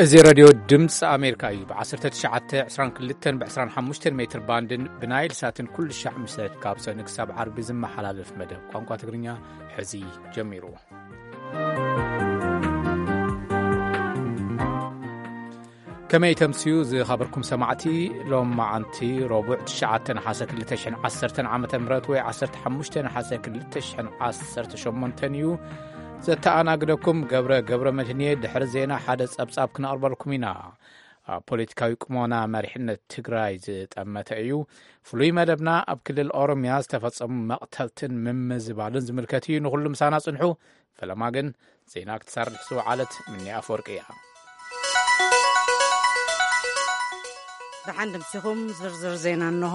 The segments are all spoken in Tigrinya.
እዚ ሬድዮ ድምፂ ኣሜሪካ እዩ። ብ1922 ብ25 ሜትር ባንድን ብናይል ሳትን ኩሉ ሻዕ ምሸት ካብ ሰኑይ ክሳብ ዓርቢ ዝመሓላለፍ መደብ ቋንቋ ትግርኛ ሕዚ ጀሚሩ። ከመይ ተምስዩ ዝኸበርኩም ሰማዕቲ? ሎም መዓንቲ ረቡዕ ትሽዓተ ነሓሰ ክልተ ሽሕን ዓሰርተን ዓመተ ምህረት ወይ ዓሰርተ ሓሙሽተ ነሓሰ ክልተ ሽሕን ዓሰርተ ሸሞንተን እዩ። ዘተኣናግደኩም ገብረ ገብረ መድህንየ። ድሕሪ ዜና ሓደ ጸብጻብ ክነቕርበልኩም ኢና። ኣብ ፖለቲካዊ ቁሞና መሪሕነት ትግራይ ዝጠመተ እዩ። ፍሉይ መደብና ኣብ ክልል ኦሮምያ ዝተፈጸሙ መቕተልትን ምምዝባልን ዝምልከት እዩ። ንኹሉ ምሳና ጽንሑ። ፈለማ ግን ዜና ክትሰርሕ ዝወዓለት ምኒ ኣፈወርቂ እያ። ደሓን ድምሲኹም። ዝርዝር ዜና እንሆ።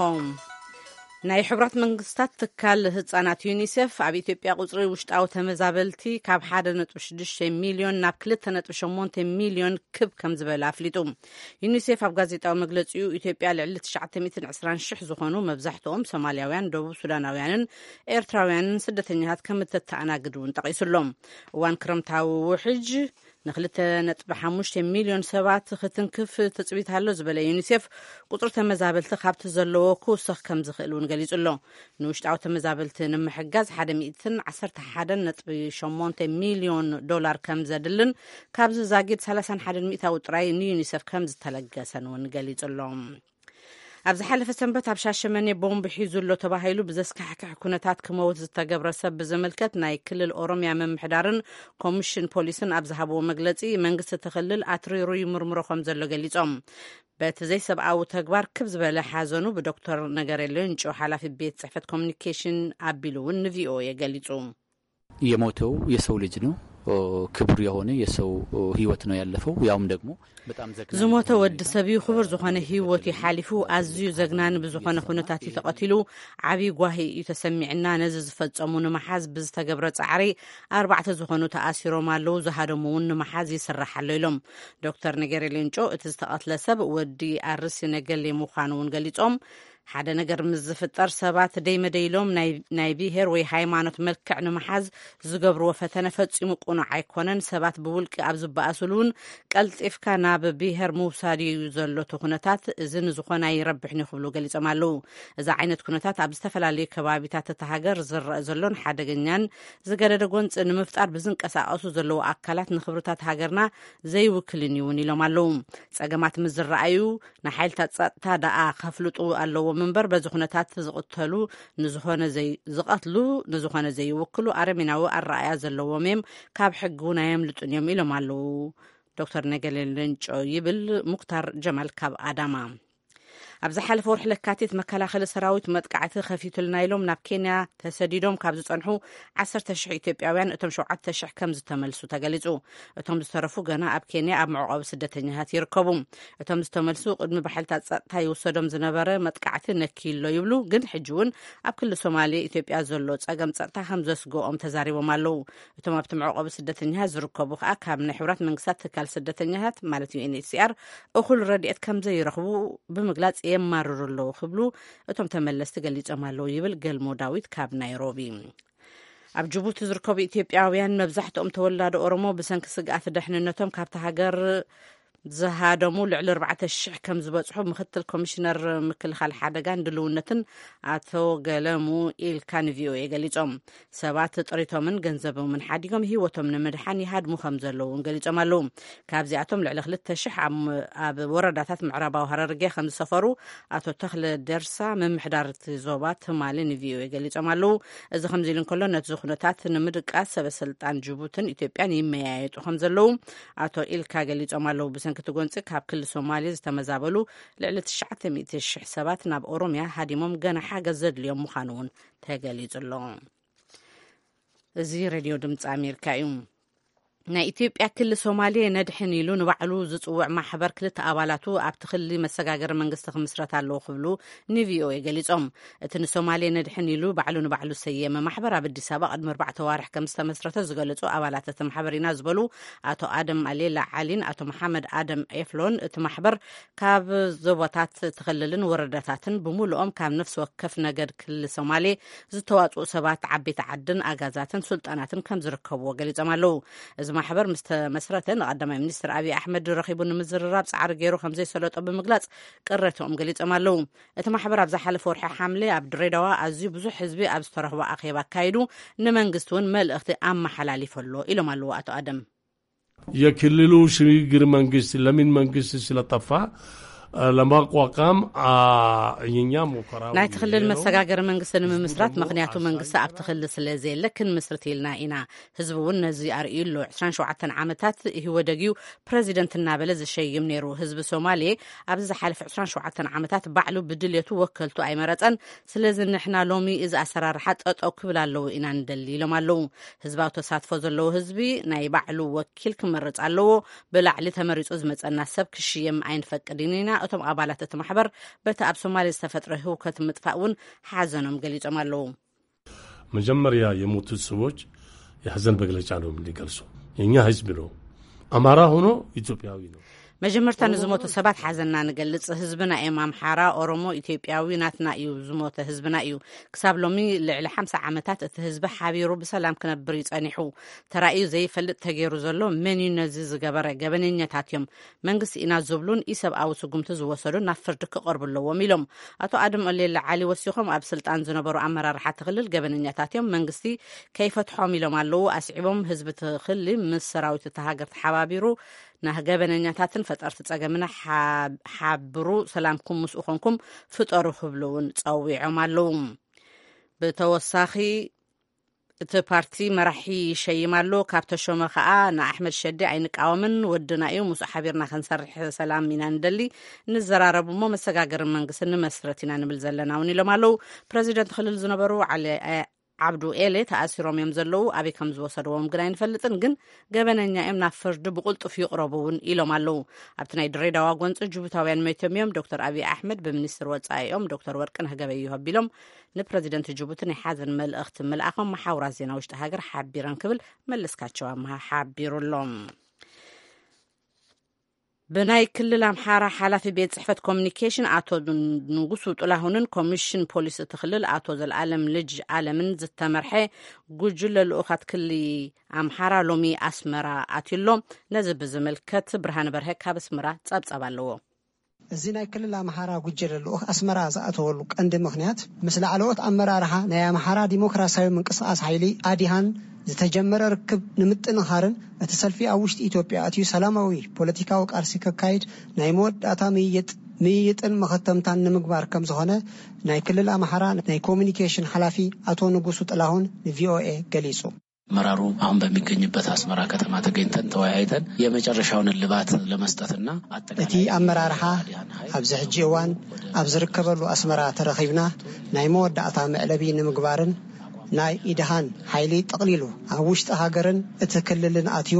ናይ ሕቡራት መንግስታት ትካል ህጻናት ዩኒሴፍ ኣብ ኢትዮጵያ ቁጽሪ ውሽጣዊ ተመዛበልቲ ካብ ሓደ ነጥቢ ሽዱሽተ ሚልዮን ናብ ክልተ ነጥቢ ሸሞንተ ሚልዮን ክብ ከም ዝበለ ኣፍሊጡ። ዩኒሴፍ ኣብ ጋዜጣዊ መግለጺኡ፣ ኢትዮጵያ ልዕሊ ትሽዓተ ሚእትን ዕስራን ሽሕ ዝኾኑ፣ መብዛሕትኦም ሶማልያውያን፣ ደቡብ ሱዳናውያንን ኤርትራውያንን ስደተኛታት ከም እተተኣናግድ እውን ጠቒሱ ኣሎ። እዋን ክረምታዊ ውሕጅ ንክልተ ነጥቢ ሓሙሽተ ሚልዮን ሰባት ክትንክፍ ትጽቢት ኣሎ ዝበለ ዩኒሴፍ፣ ቁጽሪ ተመዛበልቲ ካብቲ ዘለዎ ክውሰኽ ከም ዝኽእል እውን ገሊጹ ኣሎ። ንውሽጣዊ ተመዛበልቲ ንምሕጋዝ ሓደ ሚእትን ዓሰርተ ሓደን ነጥቢ ሸሞንተ ሚልዮን ዶላር ከም ዘድልን ካብዚ ዛጊድ ሰላሳን ሓደን ሚእታዊ ጥራይ ንዩኒሴፍ ከም ዝተለገሰን እውን ገሊጹ ኣሎ። ኣብ ዝሓለፈ ሰንበት ኣብ ሻሸመኔ ቦምብ ሒዙ ኣሎ ተባሂሉ ብዘስካሕክሕ ኩነታት ክመውት ዝተገብረ ሰብ ብዝምልከት ናይ ክልል ኦሮምያ ምምሕዳርን ኮሚሽን ፖሊስን ኣብ ዝሃብዎ መግለጺ፣ መንግስቲ እቲ ክልል ኣትሪሩ ይምርምሮ ከም ዘሎ ገሊጾም። በቲ ዘይሰብኣዊ ተግባር ክብ ዝበለ ሓዘኑ ብዶክተር ነገሬ ሌንጮ፣ ሓላፊ ቤት ጽሕፈት ኮሚኒኬሽን፣ ኣቢሉ እውን ንቪኦኤ ገሊጹ። የሞተው የሰው ልጅ ነው። ክቡር የሆነ የሰው ህይወት ነው ያለፈው። ያውም ደግሞ በጣም ዘግናኝ ዝሞተ የሆነ ወዲ ሁኔታ፣ ሰብ እዩ። ክቡር ዝኾነ ህይወት እዩ ሓሊፉ። ኣዝዩ ዘግናኒ ብዝኾነ ኩነታት እዩ ተቐቲሉ። ዓብዪ ጓሂ እዩ ተሰሚዕና። ነዚ ዝፈጸሙ ንምሓዝ ብዝተገብረ ጻዕሪ ኣርባዕተ ዝኾኑ ተኣሲሮም ኣለዉ። ዝሃደሙ እውን ንምሓዝ ይስራሕ ኣሎ ኢሎም። ዶክተር ነገሪ ሌንጮ እቲ ዝተቐትለ ሰብ ወዲ ኣርሲ ነገሌ ምዃኑ እውን ገሊጾም። ሓደ ነገር ምስ ዝፍጠር ሰባት ደይ መደይ ኢሎም ናይ፣ ናይ ብሄር ወይ ሃይማኖት መልክዕ ንምሓዝ ዝገብርዎ ፈተነ ፈጺሙ ቅኑዕ ኣይኮነን። ሰባት ብውልቂ ኣብ ዝበኣስሉ እውን ቀልጢፍካ ናብ ብሄር ምውሳድ እዩ ዘሎ እቲ ኩነታት። እዚ ንዝኾነ ኣይረብሕን እዩ ክብሉ ገሊጾም ኣለዉ። እዚ ዓይነት ኩነታት ኣብ ዝተፈላለዩ ከባቢታት እታ ሃገር ዝረአ ዘሎን ሓደገኛን ዝገደደ ጎንፂ ንምፍጣር ብዝንቀሳቐሱ ዘለዉ ኣካላት ንክብርታት ሃገርና ዘይውክልን እዩ እውን ኢሎም ኣለዉ። ጸገማት ምስ ዝረኣዩ ንሓይልታት ጸጥታ ደኣ ከፍልጡ ኣለዎም እምበር፣ በዚ ኩነታት ዝቕተሉ ንዝኾነ ዘይ-፣ ዝቐትሉ ንዝኾነ ዘይውክሉ ኣረሜናዊ ኣረኣያ ዘለዎም እዮም፣ ካብ ሕጊ እውን ኣየምልጡን እዮም ኢሎም ኣለዉ ዶክተር ነገሌ ሌንጮ፣ ይብል ሙክታር ጀማል ካብ ኣዳማ። ኣብ ዝሓለፈ ወርሒ ለካቲት መከላኸሊ ሰራዊት መጥቃዕቲ ከፊቱልና ኢሎም ናብ ኬንያ ተሰዲዶም ካብ ዝጸንሑ ዓሰርተ ሽሕ ኢትዮጵያውያን እቶም ሸውዓተ ሽሕ ከም ዝተመልሱ ተገሊጹ። እቶም ዝተረፉ ገና ኣብ ኬንያ ኣብ መዕቆቢ ስደተኛታት ይርከቡ። እቶም ዝተመልሱ ቅድሚ ብሓይልታት ጸጥታ ይውሰዶም ዝነበረ መጥቃዕቲ ነክዩ ኣሎ ይብሉ፣ ግን ሕጂ እውን ኣብ ክልል ሶማሌ ኢትዮጵያ ዘሎ ጸገም ጸጥታ ከም ዘስግኦም ተዛሪቦም ኣለዉ። እቶም ኣብቲ መዕቆቢ ስደተኛታት ዝርከቡ ከኣ ካብ ናይ ሕቡራት መንግስታት ትካል ስደተኛታት ማለት ዩ ኤን ኤች ሲ ኣር እኹል ረድኤት ከም ዘይረኽቡ ብምግላጽ የማርሩ ኣለዉ ክብሉ እቶም ተመለስቲ ገሊጾም ኣለዉ ይብል ገልሞ ዳዊት ካብ ናይሮቢ። ኣብ ጅቡቲ ዝርከቡ ኢትዮጵያውያን መብዛሕትኦም ተወላዶ ኦሮሞ ብሰንኪ ስግኣት ደሕንነቶም ካብቲ ሃገር ዝሃደሙ ልዕሊ ኣርባዕተ ሽሕ ከም ዝበጽሑ ምክትል ኮሚሽነር ምክልኻል ሓደጋን ድልውነትን ኣቶ ገለሙ ኢልካ ንቪኦኤ ገሊጾም። ሰባት ጥሪቶምን ገንዘቦምን ሓዲጎም ህይወቶም ንምድሓን ይሃድሙ ከም ዘለዉ እውን ገሊጾም ኣለዉ። ካብዚኣቶም ልዕሊ ክልተ ሽሕ ኣብ፣ ኣብ ወረዳታት ምዕራባዊ ሃረርጌ ከም ዝሰፈሩ ኣቶ ተኽለ ደርሳ፣ ምምሕዳር እቲ ዞባ ትማሊ ንቪኦኤ ገሊጾም ኣለዉ። እዚ ከምዚ ኢሉ እንከሎ፣ ነቲ ኩነታት ንምድቃስ ሰበ ስልጣን ጅቡትን ኢትዮጵያን ይመያየጡ ከም ዘለዉ ኣቶ ኢልካ ገሊጾም ኣለዉ። ብሰንኪ እቲ ጎንጺ ካብ ክልል ሶማሌ ዝተመዛበሉ ልዕሊ ትሽዓተ ሚእቲ ሽሕ ሰባት ናብ ኦሮምያ ሃዲሞም ገና ሓገዝ ዘድልዮም ምዃኑ እውን ተገሊጹ ኣሎ። እዚ ሬድዮ ድምፂ ኣሜሪካ እዩ። ናይ ኢትዮጵያ ክሊ ሶማሌ ነድሕን ኢሉ ንባዕሉ ዝጽውዕ ማሕበር ክልተ ኣባላቱ ኣብቲ ክሊ መሰጋገሪ መንግስቲ ክምስረት ኣለዎ ክብሉ ንቪኦኤ ገሊጾም። እቲ ንሶማሌ ነድሕን ኢሉ ባዕሉ ንባዕሉ ሰየመ ማሕበር ኣብ ኣዲስ ኣበባ ቅድሚ ኣርባዕተ ዋርሕ ከም ዝተመስረተ ዝገለጹ ኣባላት እቲ ማሕበር ኢና ዝበሉ ኣቶ ኣደም ኣሌላ ዓሊን ኣቶ መሓመድ ኣደም ኤፍሎን፣ እቲ ማሕበር ካብ ዞባታት እቲ ክልልን ወረዳታትን ብምሉኦም ካብ ነፍሲ ወከፍ ነገድ ክሊ ሶማሌ ዝተዋጽኡ ሰባት፣ ዓበይቲ ዓድን ኣጋዛትን ስልጣናትን ከም ዝርከብዎ ገሊጾም ኣለዉ። እዚ ማሕበር ምስ ተመስረተ ንቀዳማይ ሚኒስትር ኣብይ ኣሕመድ ረኺቡ ንምዝርራብ ጻዕሪ ገይሩ ከም ዘይሰለጦ ብምግላጽ ቅሬትኦም ገሊጾም ኣለዉ። እቲ ማሕበር ኣብ ዝሓለፈ ወርሒ ሓምለ ኣብ ድሬዳዋ ኣዝዩ ብዙሕ ህዝቢ ኣብ ዝተረኽቦ ኣኼባ ኣካይዱ ንመንግስቲ እውን መልእኽቲ ኣመሓላሊፉ ኣሎ ኢሎም ኣለዉ ኣቶ ኣደም። የክልሉ ሽግግር መንግስት ለምን መንግስት ስለጠፋ ለማቋቋም የኛ ሙከራ ናይቲ ክልል መሰጋገሪ መንግስቲ ንምምስራት፣ ምክንያቱ መንግስቲ ኣብቲ ክልል ስለ ዘየለ ክንምስርት ኢልና ኢና። ህዝቢ እውን ነዚ ኣርእዩ ኣሎ። ዕስራን ሸውዓተን ዓመታት ኢህወደግ እዩ ፕረዚደንት እናበለ ዝሸይም ነይሩ። ህዝቢ ሶማሌ ኣብዚ ዝሓለፈ ዕስራን ሸውዓተን ዓመታት ባዕሉ ብድልየቱ ወከልቱ ኣይመረጸን። ስለዚ ንሕና ሎሚ እዚ ኣሰራርሓ ጠጠው ክብል ኣለዎ ኢና ንደሊ ኢሎም ኣለዉ። ህዝባዊ ተሳትፎ ዘለዎ ህዝቢ ናይ ባዕሉ ወኪል ክመርጽ ኣለዎ። ብላዕሊ ተመሪጹ ዝመጸና ሰብ ክሽየም ኣይንፈቅድን ኢና። እቶም ኣባላት እቲ ማሕበር በቲ ኣብ ሶማሌ ዝተፈጥረ ህውከት ምጥፋእ እውን ሓዘኖም ገሊጾም ኣለዉ። መጀመሪያ የሞቱት ሰዎች የሐዘን መግለጫ ነው የምንገልጸው። የኛ ህዝብ ነው። አማራ ሆኖ ኢትዮጵያዊ ነው። መጀመርታ ንዝሞቱ ሰባት ሓዘንና ንገልጽ። ህዝብና እዮም። ኣምሓራ፣ ኦሮሞ፣ ኢትዮጵያዊ ናትና እዩ። ዝሞተ ህዝብና እዩ። ክሳብ ሎሚ ልዕሊ ሓምሳ ዓመታት እቲ ህዝቢ ሓቢሩ ብሰላም ክነብር እዩ ጸኒሑ። ተራእዩ ዘይፈልጥ ተገይሩ ዘሎ መን እዩ ነዚ ዝገበረ? ገበነኛታት እዮም። መንግስቲ ኢና ዝብሉን ኢሰብኣዊ ስጉምቲ ዝወሰዱን ናብ ፍርዲ ክቐርቡ ኣለዎም ኢሎም። ኣቶ ኣደም ኦሌለ ዓሊ ወሲኾም ኣብ ስልጣን ዝነበሩ ኣመራርሓ እቲ ክልል ገበነኛታት እዮም፣ መንግስቲ ከይፈትሖም ኢሎም ኣለዉ። ኣስዒቦም ህዝቢ እቲ ክልል ምስ ሰራዊት እታ ሃገር ተሓባቢሩ ንገበነኛታትን ፈጠርቲ ጸገምና ሓብሩ፣ ሰላምኩም ምስኡ ኮንኩም ፍጠሩ ክብሉ እውን ጸዊዖም ኣለዉ። ብተወሳኺ እቲ ፓርቲ መራሒ ይሸይም ኣሎ። ካብ ተሾመ ከኣ ንኣሕመድ ሸዴ ኣይንቃወምን፣ ወድና እዩ፣ ምስኡ ሓቢርና ክንሰርሕ ሰላም ኢና ንደሊ፣ ንዘራረብ እሞ መሰጋገርን መንግስትን ንመስረት ኢና ንብል ዘለና እውን ኢሎም ኣለዉ። ፕረዚደንት ክልል ዝነበሩ ዓሊ ዓብዱ ኤሌ ተኣሲሮም እዮም ዘለዉ። ኣበይ ከም ዝወሰድዎም ግን ኣይንፈልጥን፣ ግን ገበነኛ እዮም፣ ናብ ፍርዲ ብቁልጡፍ ይቕረቡ እውን ኢሎም ኣለዉ። ኣብቲ ናይ ድሬዳዋ ጎንፂ ጅቡታውያን መይቶም እዮም። ዶክተር ኣብይ ኣሕመድ ብሚኒስትር ወፃኢኦም ዶክተር ወርቅነህ ገበየሁ ኣቢሎም ንፕረዚደንት ጅቡቲ ናይ ሓዘን መልእኽቲ ምልኣኾም መሓውራት ዜና ውሽጢ ሃገር ሓቢረን ክብል መለስካቸው ኣምሃ ሓቢሩ ኣሎ። ብናይ ክልል ኣምሓራ ሓላፊ ቤት ጽሕፈት ኮሚኒኬሽን ኣቶ ንጉሱ ጥላሁንን ኮሚሽን ፖሊስ እቲ ክልል ኣቶ ዘልኣለም ልጅ ኣለምን ዝተመርሐ ጉጅለ ልኡኻት ክሊ ኣምሓራ ሎሚ ኣስመራ ኣትዩሎ። ነዚ ብዝምልከት ብርሃን በርሀ ካብ ኣስመራ ጸብጸብ ኣለዎ። እዚ ናይ ክልል ኣምሓራ ጉጀለ ልኡኽ ኣስመራ ዝኣተወሉ ቀንዲ ምኽንያት ምስ ላዕለዎት ኣመራርሓ ናይ ኣምሓራ ዲሞክራሲያዊ ምንቅስቃስ ሓይሊ ኣዲሃን ዝተጀመረ ርክብ ንምጥንኻርን እቲ ሰልፊ ኣብ ውሽጢ ኢትዮጵያ ኣትዩ ሰላማዊ ፖለቲካዊ ቃልሲ ከካይድ ናይ መወዳእታ ምይይጥ ምይይጥን መኸተምታን ንምግባር ከም ዝኾነ ናይ ክልል ኣምሓራ ናይ ኮሚኒኬሽን ሓላፊ ኣቶ ንጉሱ ጥላሁን ንቪኦኤ ገሊጹ። መራሩ አሁን በሚገኝበት አስመራ ከተማ ተገኝተን ተወያይተን የመጨረሻውን እልባት ለመስጠትና እቲ ኣመራርሓ ኣብዚ ሕጂ እዋን ኣብ ዝርከበሉ ኣስመራ ተረኺብና ናይ መወዳእታ መዕለቢ ንምግባርን ናይ ኢድሃን ሓይሊ ጠቕሊሉ ኣብ ውሽጢ ሃገርን እቲ ክልልን ኣትዩ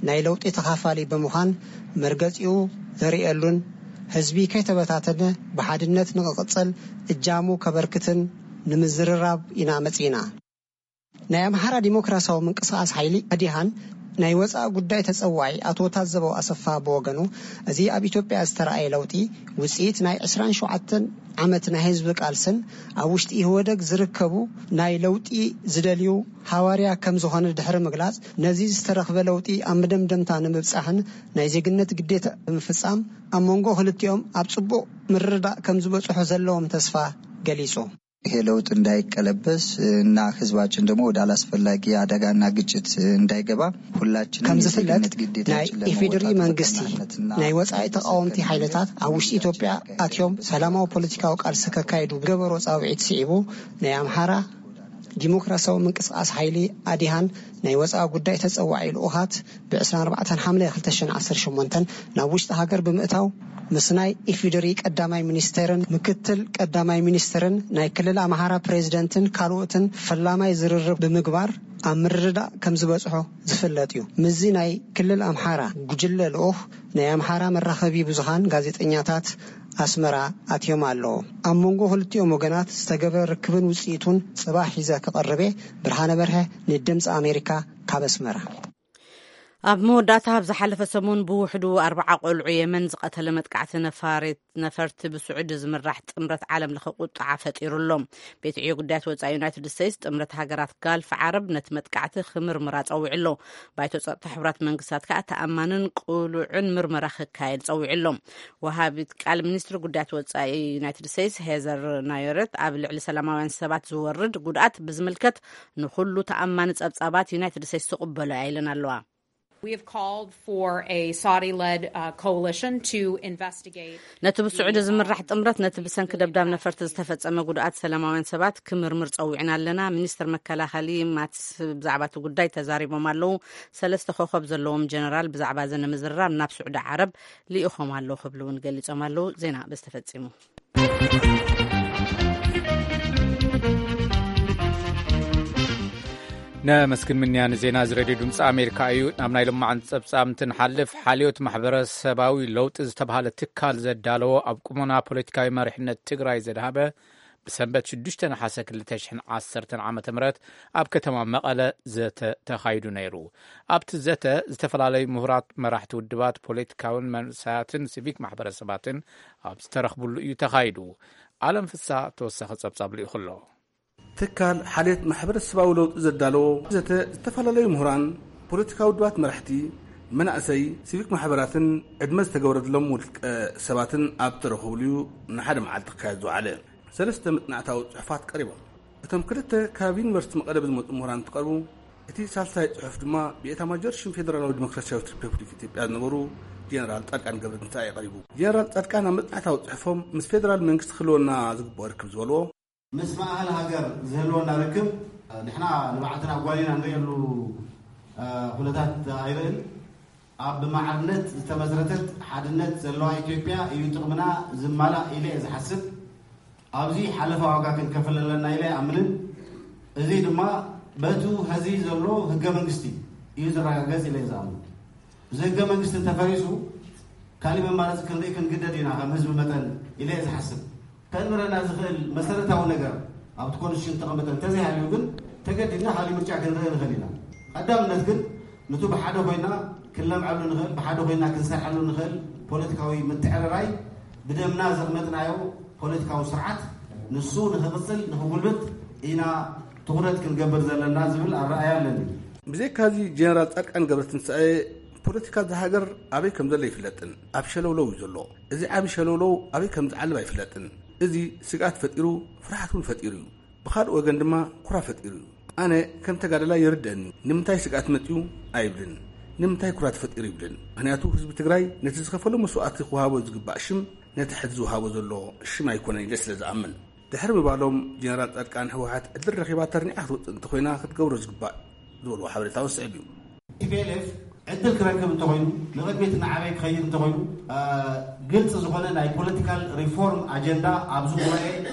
ናይ ለውጢ ተኻፋሊ ብምዃን መርገጺኡ ዘርእየሉን ህዝቢ ከይተበታተነ ብሓድነት ንክቕጽል እጃሙ ከበርክትን ንምዝርራብ ኢና መጺና። ናይ ኣምሓራ ዲሞክራሲያዊ ምንቅስቃስ ሓይሊ ኣዲሃን ናይ ወፃኢ ጉዳይ ተፀዋዒ ኣቶ ታዘበው ኣሰፋ ብወገኑ፣ እዚ ኣብ ኢትዮጵያ ዝተረኣየ ለውጢ ውፅኢት ናይ ዕስራን ሸውዓተን ዓመት ናይ ህዝቢ ቃልስን ኣብ ውሽጢ ኢህወደግ ዝርከቡ ናይ ለውጢ ዝደልዩ ሃዋርያ ከም ዝኾነ ድሕሪ ምግላፅ፣ ነዚ ዝተረኽበ ለውጢ ኣብ መደምደምታ ንምብፃሕን ናይ ዜግነት ግዴታ ብምፍፃም ኣብ መንጎ ክልቲኦም ኣብ ፅቡቕ ምርድዳእ ከም ዝበፅሑ ዘለዎም ተስፋ ገሊፁ። ይሄ ለውጥ እንዳይቀለበስ እና ህዝባችን ደግሞ ወደ አላስፈላጊ አደጋና ግጭት እንዳይገባ ሁላችንም ከም ዝፍለጥ የዜግነት ግዴታችን ናይ ኢፌዴሪ ለመወጣት መንግስቲ በቀናነትና ናይ ወፃኢ ተቃወምቲ ሓይልታት ኣብ ውሽጢ ኢትዮጵያ ኣትዮም ሰላማዊ ፖለቲካዊ ቃልሲ ከካይዱ ገበሮ ፃውዒት ስዒቡ ናይ ኣምሓራ ዲሞክራሲያዊ ምንቅስቃስ ሓይሊ ኣዲሃን ናይ ወፃኢ ጉዳይ ተፀዋዒ ልኡኻት ብ ዕስራን ኣርባዕተን ሓምለ ክልተ ሽሕን ዓሰርተ ሸሞንተን ናብ ውሽጢ ሃገር ብምእታው ምስ ናይ ኢፌዴሪ ቀዳማይ ሚኒስቴርን ምክትል ቀዳማይ ሚኒስትርን ናይ ክልል ኣምሓራ ፕሬዚደንትን ካልኦትን ፈላማይ ዝርርብ ብምግባር ኣብ ምርድዳእ ከም ዝበጽሖ ዝፍለጥ እዩ። ምስዚ ናይ ክልል ኣምሓራ ጉጅለ ልኡኽ ናይ ኣምሓራ መራኸቢ ብዙሃን ጋዜጠኛታት ኣስመራ ኣትዮም ኣለዉ። ኣብ መንጎ ክልቲኦም ወገናት ዝተገበረ ርክብን ውጽኢቱን ጽባሕ ሒዘ ክቐርብ እየ። ብርሃነ በርሀ ንድምፂ ኣሜሪካ ካብ ኣስመራ። ኣብ መወዳእታ ኣብ ዝሓለፈ ሰሙን ብውሕዱ ኣርባዓ ቆልዑ የመን ዝቐተለ መጥቃዕቲ ነፋሪት ነፈርቲ ብስዑዲ ዝምራሕ ጥምረት ዓለም ለኸ ቁጥዓ ፈጢሩ ኣሎ። ቤት ዕዮ ጉዳያት ወፃኢ ዩናይትድ ስቴትስ ጥምረት ሃገራት ጋልፍ ዓረብ ነቲ መጥቃዕቲ ክምርምራ ፀዊዑ ኣሎ። ባይቶ ፀጥታ ሕቡራት መንግስታት ከዓ ተኣማንን ቅሉዕን ምርመራ ክካየድ ፀዊዑ ኣሎ። ወሃቢት ቃል ሚኒስትሪ ጉዳያት ወፃኢ ዩናይትድ ስቴትስ ሄዘር ናዮረት ኣብ ልዕሊ ሰላማውያን ሰባት ዝወርድ ጉድኣት ብዝምልከት ንኩሉ ተኣማኒ ፀብፃባት ዩናይትድ ስቴትስ ትቕበሎ እያ ኢለን ኣለዋ። We have called for a Saudi-led uh, coalition to investigate ነቲ ብስዑዲ ዝምራሕ ጥምረት ነቲ ብሰንኪ ደብዳብ ነፈርቲ ዝተፈጸመ ጉድኣት ሰላማውያን ሰባት ክምርምር ጸዊዕና ኣለና። ሚኒስትር መከላኸሊ ማትስ ብዛዕባ እቲ ጉዳይ ተዛሪቦም ኣለዉ። ሰለስተ ኮኸብ ዘለዎም ጀነራል ብዛዕባ እዚ ንምዝርራብ ናብ ስዑዲ ዓረብ ልኢኾም ኣለዉ ክብሉ እውን ገሊጾም ኣለዉ። ዜና በዚ ተፈጺሙ። ነመስግን ምንያ ንዜና እዚ ሬድዮ ድምፂ ኣሜሪካ እዩ። ናብ ናይ ልማዓን ጸብጻብ እንትንሓልፍ፣ ሓልዮት ማሕበረሰባዊ ለውጢ ዝተባህለ ትካል ዘዳለዎ ኣብ ቁመና ፖለቲካዊ መሪሕነት ትግራይ ዘድሃበ ብሰንበት ሽዱሽተ ነሓሰ ክልተ ሽሕን ዓሰርተን ዓመተ ምህረት ኣብ ከተማ መቐለ ዘተ ተኻይዱ ነይሩ። ኣብቲ ዘተ ዝተፈላለዩ ምሁራት፣ መራሕቲ ውድባት፣ ፖለቲካውን መንእሰያትን ሲቪክ ማሕበረሰባትን ኣብ ዝተረኽብሉ እዩ ተኻይዱ። ኣለም ፍሳ ተወሳኺ ጸብጻብ ልኢኹ ኣሎ። ትካል ሓልየት ማሕበረሰባዊ ለውጢ ዘዳለዎ ዘተ ዝተፈላለዩ ምሁራን፣ ፖለቲካዊ ውድባት መራሕቲ፣ መናእሰይ፣ ሲቪክ ማሕበራትን ዕድመ ዝተገበረሎም ውልቀ ሰባትን ኣብ ተረኸብሉ እዩ ንሓደ መዓልቲ ክካየድ ዝወዓለ። ሰለስተ መጽናዕታዊ ጽሑፋት ቀሪቦም። እቶም ክልተ ካብ ዩኒቨርሲቲ መቐለ ብዝመጹ ምሁራን እንትቐርቡ፣ እቲ ሳልሳይ ጽሑፍ ድማ ብኤታማጆር ሽም ፌደራላዊ ዲሞክራሲያዊት ሪፐብሊክ ኢትዮጵያ ዝነበሩ ጀነራል ጻድቃን ገብረትንሳኤ ቀሪቡ። ጀነራል ጻድቃን ኣብ መጽናዕታዊ ጽሑፎም፣ ምስ ፌደራል መንግስቲ ክህልወና ዝግብኦ ርክብ ዝበልዎ፣ ምስ ማእኸል ሃገር ዝህልወና ርክብ፣ ንሕና ንባዕልና ጓሊና ንርእየሉ፣ እ፣ ኩነታት ኣይርእን። ኣብ ብማዕርነት ዝተመስረተት ሓድነት ዘለዋ ኢትዮጵያ እዩ ጥቕምና ዝማላእ ኢለ እየ ዝሓስብ። ኣብዚ ሓለፋ ዋጋ ክንከፍል ኣለና ኢለ ኣይኣምንን። እዚ ድማ በቱ ሀዚ ዘሎ ህገ መንግስቲ እዩ ዝረጋገጽ ኢለ እየ ዝኣምን። እዚ ህገ መንግስቲ እንተፈሪሱ፣ ካሊእ መማረፂ ክንርኢ ክንግደድ ኢና ከም ህዝቢ መጠን ኢለ እየ ዝሓስብ። ከእምረና ዝኽእል መሰረታዊ ነገር ኣብቲ ኮንስቲቱሽን ዝተቐመጠ እንተዘይሃልዩ ግን፣ ተገዲድና ካሊእ ምርጫ ክንርኢ ንኽእል ኢና። ቀዳምነት ግን፣ ንቱ ብሓደ ኮይና ክንለምዐሉ ንኽእል፣ ብሓደ ኮይና ክንሰርሐሉ ንኽእል ፖለቲካዊ ምትዕርራይ፣ ብደምና ዘቕመጥናዮ ፖለቲካዊ ስርዓት፣ ንሱ ንኽቕጽል፣ ንኽጉልብት ኢና ትኹረት ክንገብር ዘለና ዝብል ኣረኣእያ ኣለኒ። ብዘይካዚ፣ ጀነራል ጻድቃን ገብረትንሳኤ፣ ፖለቲካ እዛ ሃገር ኣበይ ከም ዘሎ ኣይፍለጥን፣ ኣብ ሸለውለው እዩ ዘሎ። እዚ ዓቢ ሸለውለው ኣበይ ከም ዝዓልብ ኣይፍለጥን። እዚ ስግኣት ፈጢሩ፣ ፍርሃት እውን ፈጢሩ እዩ። ብኻልእ ወገን ድማ ኩራ ፈጢሩ እዩ። ኣነ ከም ተጋዳላይ ይርደእኒ፣ ንምንታይ ስግኣት መጺኡ ኣይብልን፣ ንምንታይ ኩራ ተፈጢሩ ይብልን። ምኽንያቱ ህዝቢ ትግራይ ነቲ ዝኸፈሎ መስዋእቲ ክወሃቦ ዝግባእ ሽም፣ ነቲ ሕዚ ዝወሃቦ ዘሎ ሽም ኣይኮነን ኢለ ስለ ዝኣምን። ድሕሪ ምባሎም፣ ጀነራል ጻድቃን፣ ህወሓት ዕድል ረኺባ ተርኒዓ ክትወጽእ እንተኾይና ክትገብሮ ዝግባእ ዝበልዎ ሓበሬታ እውን ስዕብ እዩ። ቲ ፒ ኤል ኤፍ ዕድል ክረክብ እንተኾይኑ፣ ንቕድሚት እናዓበየ ክኸይድ እንተኾይኑ፣ እ፣ ግልፂ ዝኾነ ናይ ፖለቲካል ሪፎርም ኣጀንዳ ኣብዚ ጉባኤ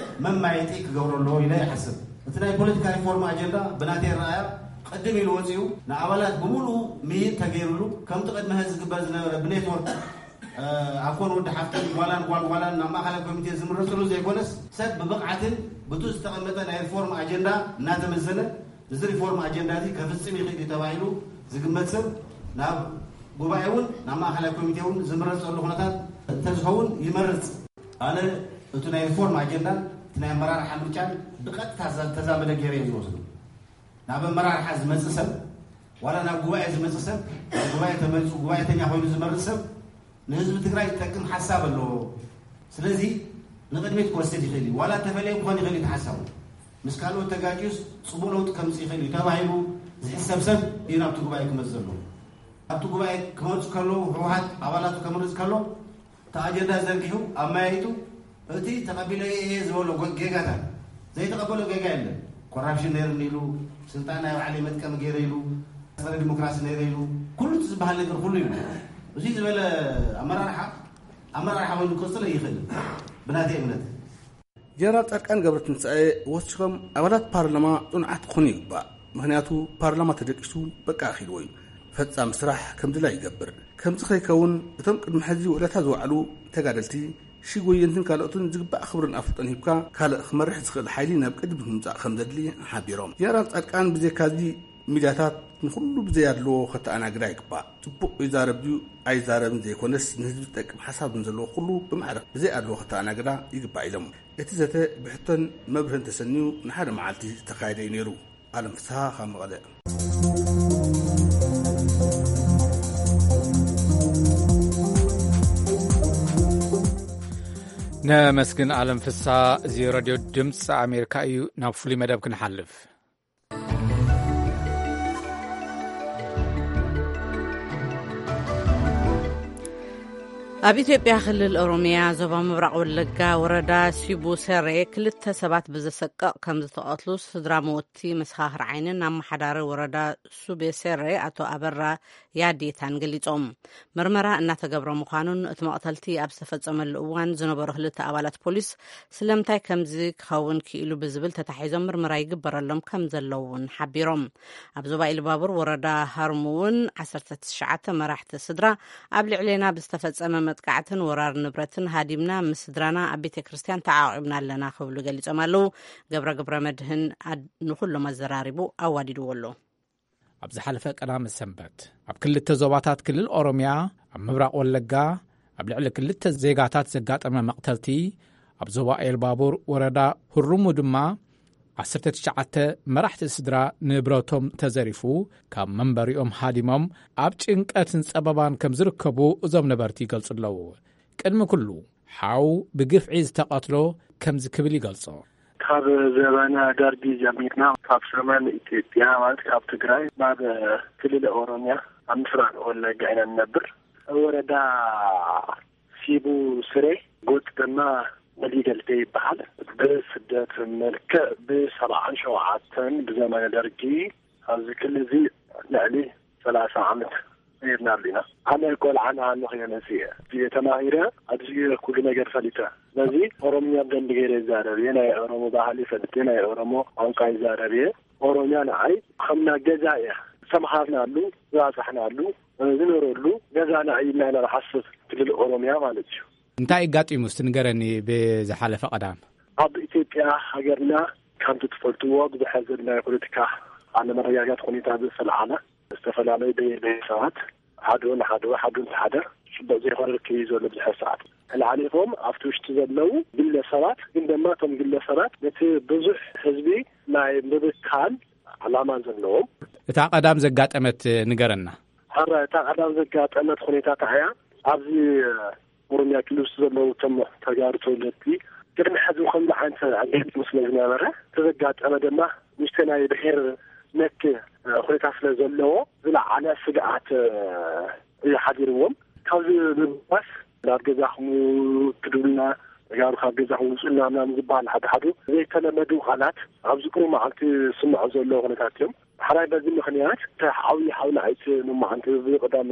መማየጢ ክገብሮ ኣለዎ ኢለ ይሓስብ። እቲ ናይ ፖለቲካ ሪፎርም ኣጀንዳ ብናተይ ረኣያ ቅድም ኢሉ ወፂኡ ንኣባላት ብምሉኡ ምይይጥ ተገይሩሉ፣ ከምቲ ቅድሚ ሀዚ ዝግበር ዝነበረ ብኔትወርክ፣ እ፣ ኣኮን ወዲ ሓፍትን ጓላን ጓል ጓላን ናብ ማእኸላይ ኮሚቴ ዝምረፅሉ ዘይኮነስ፣ ሰብ ብብቕዓትን ብቱ ዝተቐመጠ ናይ ሪፎርም ኣጀንዳ እናተመዘነ፣ እዚ ሪፎርም ኣጀንዳ እዚ ከፍፅም ይኽእል እዩ ተባሂሉ ዝግመት ሰብ ናብ ጉባኤ እውን ናብ ማእኸላይ ኮሚቴ እውን ዝምረፀሉ ኩነታት እንተዝኸውን ይመርፅ። ኣነ እቲ ናይ ሪፎርም ኣጀንዳን እቲ ናይ ኣመራርሓ ምርጫን ብቐጥታ ዘ-፣ ተዛመደ ገይረ እየ ዝወስዶ። ናብ ኣመራርሓ ዝመፅእ ሰብ፣ ዋላ ናብ ጉባኤ ዝመፅእ ሰብ፣ ናብ ጉባኤ ተመሪፁ ጉባኤተኛ ኮይኑ ዝመርፅ ሰብ፣ ንህዝቢ ትግራይ ዝጠቅም ሓሳብ ኣለዎ። ስለዚ ንቕድሚት ክወስድ ይኽእል እዩ። ዋላ ተፈለየ ክኾን ይኽእል እዩ እቲ ሓሳቡ። ምስ ካልኦት ተጋጭዩስ ፅቡቕ ለውጢ ከምፅእ ይኽእል እዩ ተባሂሉ ዝሕሰብ ሰብ እዩ ናብቲ ጉባኤ ክመፅእ ዘለዎ። ኣብቲ ጉባኤ ክመፁ ከለዉ ህወሓት ኣባላቱ ከምርፅ ከሎ እቲ ኣጀንዳ ዘርጊሑ ኣመያይጡ እቲ ተቐቢለዮ እየ ዝበሎ ጎ-፣ ጌጋታት ዘይተቐበሎ ጌጋ የለን። ኮራፕሽን ነይሩኒ ኢሉ፣ ስልጣን ናይ ባዕለይ መጥቀሚ ገይረ ኢሉ፣ ጸረ ዲሞክራሲ ነይረ ኢሉ፣ ኩሉ እቲ ዝበሃል ነገር ኩሉ እዩ። እዚ ዝበለ ኣመራርሓ፣ ኣመራርሓ ኮይኑ ክቕጽል ኣይኽእልን ብናተይ እምነት። ጀነራል ጻድቃን ገብረትንሳኤ ወሲኾም፣ ኣባላት ፓርላማ ጽኑዓት ክኾኑ ይግባእ። ምኽንያቱ ፓርላማ ተደቂሱ በቃ ኣኺልዎ እዩ። ፈጻሚ ስራሕ ከም ድላዩ ይገብር። ከምዚ ከይከውን እቶም ቅድሚ ሕዚ ውዕለታ ዝወዓሉ ተጋደልቲ፣ ሽጎየንትን ካልኦትን ዝግባእ ክብርን ኣፍልጦን ሂብካ ካልእ ክመርሕ ዝኽእል ሓይሊ ናብ ቅድሚት ምምጻእ ከም ዘድሊ ሓቢሮም። ጀነራል ጻድቃን ብዘይካዚ ሚድያታት ንኹሉ ብዘይ ኣድልዎ ከተኣናግዳ ይግባእ። ጽቡቕ ይዛረብ ድዩ ኣይዛረብን ዘይኮነስ ንህዝቢ ዝጠቅም ሓሳብ ንዘለዎ ኩሉ ብማዕረ ብዘይ ኣድልዎ ከተኣናግዳ ይግባእ ኢሎም። እቲ ዘተ ብሕቶን መብርህን ተሰንዩ ንሓደ መዓልቲ ዝተኻየደ እዩ ነይሩ። ኣለም ፍስሃ ካብ መቐለ። ነመስግን ኣለም ፍስሃ። እዚ ሬድዮ ድምፂ ኣሜሪካ እዩ። ናብ ፍሉይ መደብ ክንሓልፍ። ኣብ ኢትዮጵያ ክልል ኦሮሚያ ዞባ ምብራቕ ወለጋ ወረዳ ሲቡ ሰሬ ክልተ ሰባት ብዘሰቅቕ ከም ዝተቐትሉ ስድራ መወቲ መሰኻኽር ዓይንን ኣመሓዳሪ ወረዳ ሱቤ ሰሬ ኣቶ ኣበራ ያዴታን ገሊጾም። ምርመራ እናተገብረ ምዃኑን እቲ መቕተልቲ ኣብ ዝተፈጸመሉ እዋን ዝነበሩ ክልተ ኣባላት ፖሊስ ስለምንታይ ከምዚ ክኸውን ክኢሉ ብዝብል ተታሒዞም ምርመራ ይግበረሎም ከም ዘለዉ እውን ሓቢሮም። ኣብ ዞባ ኢሉባቡር ወረዳ ሃርሙ እውን ዓሰርተ ትሽዓተ መራሕቲ ስድራ ኣብ ልዕሌና ብዝተፈጸመ መጥቃዕትን ወራር ንብረትን ሃዲምና ምስ ስድራና ኣብ ቤተ ክርስቲያን ተዓቒብና ኣለና ክብሉ ገሊጾም ኣለዉ። ገብረ ግብረ መድህን ኣድ-፣ ንኹሎም ኣዘራሪቡ ኣዋዲድዎ ኣሎ። ኣብ ዝሓለፈ ቀዳመ ሰንበት ኣብ ክልተ ዞባታት ክልል ኦሮሚያ ኣብ ምብራቕ ወለጋ ኣብ ልዕሊ ክልተ ዜጋታት ዘጋጠመ መቕተልቲ፣ ኣብ ዞባ ኤልባቡር ወረዳ ሁሩሙ ድማ ዓሰርተ ትሽዓተ መራሕቲ ስድራ ንብረቶም ተዘሪፉ ካብ መንበሪኦም ሃዲሞም ኣብ ጭንቀትን ጸበባን ከም ዝርከቡ እዞም ነበርቲ ይገልጹ ኣለዉ። ቅድሚ ኩሉ ሓው ብግፍዒ ዝተቐትሎ ከምዚ ክብል ይገልጾ። ካብ ዘበነ ደርጊ ጀሚርና ካብ ሰሜን ኢትዮጵያ ማለት ካብ ትግራይ ናብ ክልል ኦሮሚያ ኣብ ምስራቅ ወለጋ ኢና ንነብር። ወረዳ ሲቡ ስሬ ጎጥ ድማ ወሊደልቴ ይበሃል። ብስደት መልክዕ ብሰብዓን ሸውዓተን ብዘመነ ደርጊ ኣብዚ ክልል እዚ ልዕሊ ሰላሳ ዓመት ነይርናሉ ኢና። ኣነ ቆልዓ ንሃለኹ እየ መፅየ። እየ ተማሂረ፣ ኣብዚ እየ ኩሉ ነገር ፈሊጠ። ስለዚ ኦሮምኛ ብደንቢ ገይረ ይዛረብ እየ። ናይ ኦሮሞ ባህሊ ይፈልጥ እየ፣ ናይ ኦሮሞ ቋንቋ ይዛረብ እየ። ኦሮምያ ንዓይ ከምና ገዛ እያ። ዝተምሃርናሉ፣ ዝባፃሕናሉ፣ ዝነረሉ ገዛና እዩ ኢልና ኢና ንሓስብ፣ ክልል ኦሮምያ ማለት እዩ። እንታይ ኣጋጢሙ እስቲ ንገረኒ ብዝሓለፈ ቀዳም? ኣብ ኢትዮጵያ ሃገርና ከምቲ ትፈልጥዎ ብዝሐ ዘሎ ናይ ፖለቲካ ኣለመረጋጋት ሁኔታ ዝተለዓለ ዝተፈላለዩ ብሄር ብሄረሰባት ሓደ ንሓደ ሓደ ንሓደ ጽቡቕ ዘይኮነ ርክብ እዩ ዘሎ ብዙሕ ሰዓት። ተለዓሊኾም ኣብቲ ውሽጢ ዘለዉ ግለሰባት ግን ድማ እቶም ግለሰባት ነቲ ብዙሕ ህዝቢ ናይ ምብካል ዓላማ ዘለዎም። እታ ቀዳም ዘጋጠመት ንገረና። ሕረ እታ ቀዳም ዘጋጠመት ሁኔታ እንታይ እያ? ኣብዚ ኦሮምያ ክልል ውስጥ ዘለዉ እቶም ተጋሩ ተወለድቲ ቅድሚ ሕዚ ከምዚ ዓይነት ኣጋጢሙ ስለ ዝነበረ፣ እቲ ዘጋጠመ ድማ ንእሽተይ ናይ ብሔር ነክ፣ እ፣ ሁኔታ ስለ ዘለዎ ዝለዓለ ስግኣት፣ እ፣ እዩ ሓዲርዎም። ካብዚ ብምባስ ናብ ገዛኹም ክድብሉና፣ ተጋሩ ካብ ገዛኹም ውፁልና ምናምን ዝበሃል ሓደ ሓደ ዘይተለመዱ ቃላት ኣብዚ ቅሩብ መዓልቲ ዝስምዑ ዘለዉ ኩነታት እዮም። ሓራይ በዚ ምኽንያት እቲ ዓብዪ ሓውና ኣይት ንማዓንቲ ብቐዳም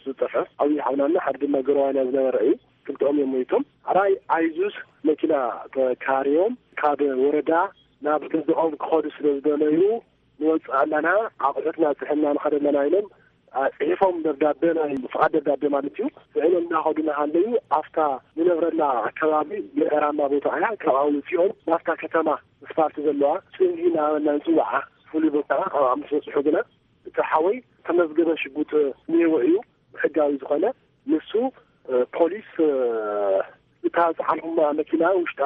ዝጠፈ ዓብዪ ሓውናና ሓደ ድማ ገረዋይና ዝነበረ እዩ። ክልተኦም እዮም ሞይቶም። ሓራይ ኣይዙዝ መኪና ተካርዮም ካብ ወረዳ ናብ ገዝኦም ክኸዱ ስለ ዝደለዩ ንወፅእ ኣለና፣ ኣቑሑትና ፅሕና ንኸደ ኣለና ኢሎም፣ አ፣ ፅሒፎም ደብዳቤ፣ ናይ ፍቓድ ደብዳቤ ማለት እዩ። ፅዒኖም እናኸዱ እናሃለዩ ኣብታ ንነብረላ ኣከባቢ ምዕራማ ቦታ እያ። ካብኣ ውፂኦም ናብታ ከተማ ስፓልት ዘለዋ ፅንጊ እናበልና ንፅውዓ ፍሉይ ቦታ፣ ኣብኣ ምስ በፅሑ ግና እቲ ሓወይ ተመዝገበ ሽጉጥ እኒሄዎ እዩ፣ ሕጋዊ ዝኾነ። ንሱ፣ እ፣ ፖሊስ፣ እ፣ እታ ዝፀዓንኩማ መኪና ውሽጣ፣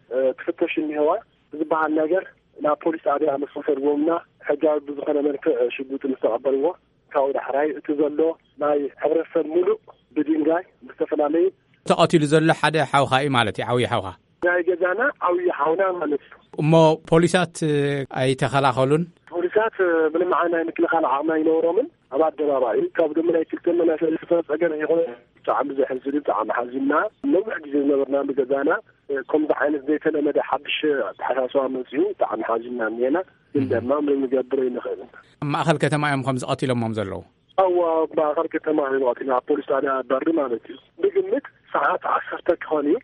እ፣ ትፍተሽ እኒሄዋ ብዝበሃል ነገር ናብ ፖሊስ ጣብያ ምስ ወሰድዎምና ሕጋዊ ብዝኾነ መልክዕ ሽጉጥ ምስ ተቐበልዎ፣ ካብኡ ዳሕራይ እቲ ዘሎ ናይ ሕብረተሰብ ሙሉእ ብድንጋይ ብዝተፈላለዩ ተቐቲሉ ዘሎ ሓደ ሓውኻ እዩ ማለት እዩ፣ ዓብዪ ሓውኻ። ናይ ገዛና ዓብዪ ሓውና ማለት እዩ። እሞ ፖሊሳት ኣይተኸላኸሉን? ፖሊሳት ምንም ዓይነት ናይ ምክልኻል ዓቕሚ ኣይነበሮምን። ኣብ ኣደባባይ ካብ ድማ ናይ ክልተ መናእሰይ ዝፈጠረ ጸገም ይኹን ብጣዕሚ ዘሕዝን እዩ፣ ብጣዕሚ ሓዚንና። ነዊሕ ግዜ ዝነበርናሉ ገዛና ከምዚ ዓይነት ዘይተለመደ ሓድሽ ኣተሓሳስባ መጺኡ ብጣዕሚ ሓዚንና እኒሄና። ግን ድማ ምንም ንገብር ኣይንኽእልን። ኣብ ማእኸል ከተማ እዮም ከምዚ ቀቲሎሞም ዘለዉ? እዋ፣ ኣብ ማእኸል ከተማ እዮም ቀቲሎም፣ ኣብ ፖሊስ ጣብያ በሪ ማለት እዩ። ብግምት ሰዓት ዓሰርተ ክኾን እዩ።